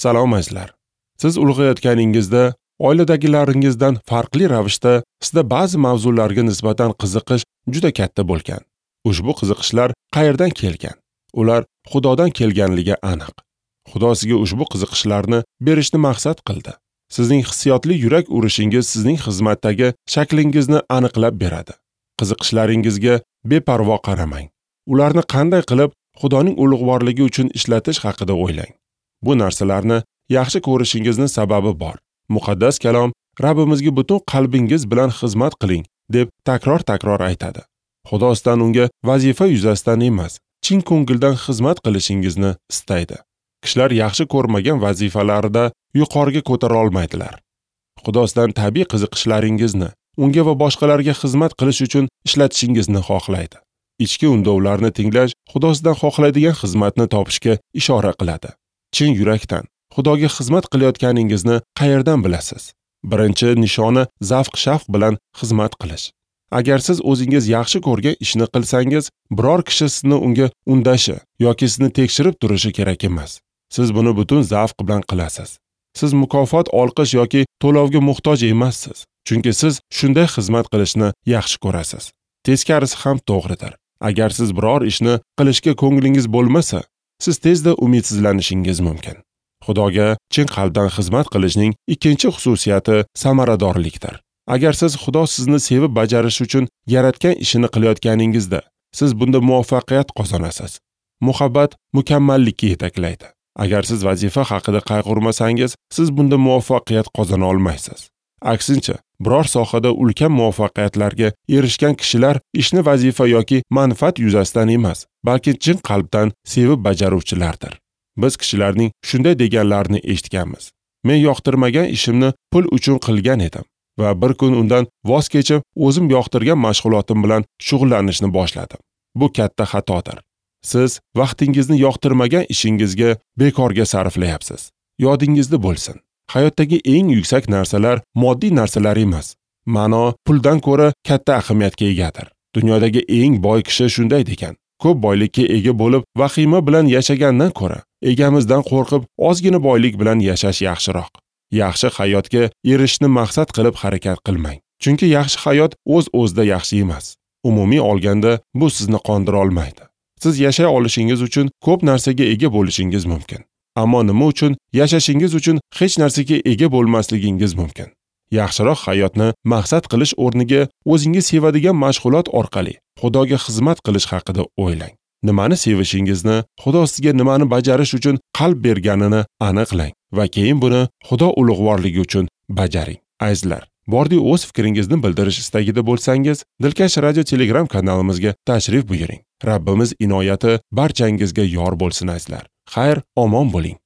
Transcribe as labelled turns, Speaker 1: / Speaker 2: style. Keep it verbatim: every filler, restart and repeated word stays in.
Speaker 1: Salom azizlar. Siz ulg'ayotganingizda oiladagilaringizdan farqli ravishda sizda ba'zi mavzularga nisbatan qiziqish juda katta bo'lgan. Ushbu qiziqishlar qayerdan kelgan? Ular Xudodan kelganligi aniq. Xudo sizga ushbu qiziqishlarni berishni maqsad qildi. Sizning hissiyotli yurak urishingiz sizning xizmatdagi shaklingizni aniqlab beradi. Qiziqishlaringizga beparvo qaramang. Ularni qanday qilib Xudoning ulug'vorligi uchun ishlatish haqida o'ylang. Bu narsalarni yaxshi ko'rishingizni sababi bor. Muqaddas kalom Rabbimizga butun qalbingiz bilan xizmat qiling deb takror-takror aytadi. Xudo sizdan unga vazifa yuzasidan emas, chin ko'ngildan xizmat qilishingizni istaydi. Kishilar yaxshi ko'rmagan vazifalarida yuqoriga ko'tara olmaydilar. Xudo sizdan tabiiy qiziqishlaringizni unga va boshqalarga xizmat qilish uchun ishlatishingizni xohlaydi. Ichki undovlarni tinglash Xudo sizdan xohlaydigan xizmatni topishga ishora qiladi. Chin yurakdan Xudoga xizmat qilayotganingizni qayerdan bilasiz? Birinchi nishoni zavq-shavq bilan xizmat qilish. Agar siz o'zingiz yaxshi ko'rgan ishni qilsangiz, biror kishi sizni unga undashi yoki sizni tekshirib turishi kerak emas. Siz buni butun zavq bilan qilasiz. Siz mukofot, olqish yoki to'lovga muhtoj emassiz, chunki siz shunday xizmat qilishni yaxshi ko'rasiz. Teskarisi ham to'g'ridir. Agar siz biror ishni qilishga ko'nglingiz bo'lmasa, siz tezda umidsizlanishingiz mumkin. Xudoga chin qalbdan xizmat qilishning ikkinchi xususiyati samaradorlikdir. Agar siz Xudo sizni sevib bajarish uchun yaratgan ishini qilayotganingizda, siz bunda muvaffaqiyat qozonasiz. Muhabbat mukammallikka yetaklaydi. Agar siz vazifa haqida qayg'urmasangiz, siz bunda muvaffaqiyat qozona olmaysiz. Aksincha, biror sohada ulkan muvaffaqiyatlarga erishgan kishilar ishni vazifa yoki manfaat yuzasidan emas, balki chin qalbdan sevib bajaruvchilardir. Biz kishilarning shunday deganlarini eshitganmiz. Men yoqtirmagan ishimni pul uchun qilgan edim va bir kun undan voz kechib, o'zim yoqtirgan mashg'ulotim bilan shug'ullanishni boshladim. Bu katta xatodir. Siz vaqtingizni yoqtirmagan ishingizga bekorga sarflayapsiz. Yodingizda bo'lsin. Hayotdagi eng yuksak narsalar moddiy narsalar emas. Ma'no puldan ko'ra katta ahamiyatga egadir. Dunyodagi eng boy kishi shunday degan. Ko'p boylikka ega bo'lib, vahima bilan yashagandan ko'ra, egamizdan qo'rqib, ozgina boylik bilan yashash yaxshiroq. Yaxshi hayotga erishishni maqsad qilib harakat qilmang. Chunki yaxshi hayot o'z-o'zida yaxshi emas. Umumiy olganda bu sizni qondira olmaydi. Siz yashay olishingiz uchun ko'p narsaga ega bo'lishingiz mumkin. Ammo nima uchun yashashingiz uchun hech narsaga ega bo'lmasligingiz mumkin? Yaxshiroq hayotni maqsad qilish o'rniga o'zingiz sevadigan mashg'ulot orqali Xudoga xizmat qilish haqida o'ylang. Nimani sevishingizni, Xudo sizga nimani bajarish uchun qalb berganini aniqlang va keyin buni Xudo ulug'vorligi uchun bajaring. Azizlar, bordi o'z fikringizni bildirish istagida bo'lsangiz, Dilkash Radio Telegram kanalimizga tashrif buyuring. Rabbimiz inoyati barchangizga yor bo'lsin azizlar. Xayr, omon bo'ling.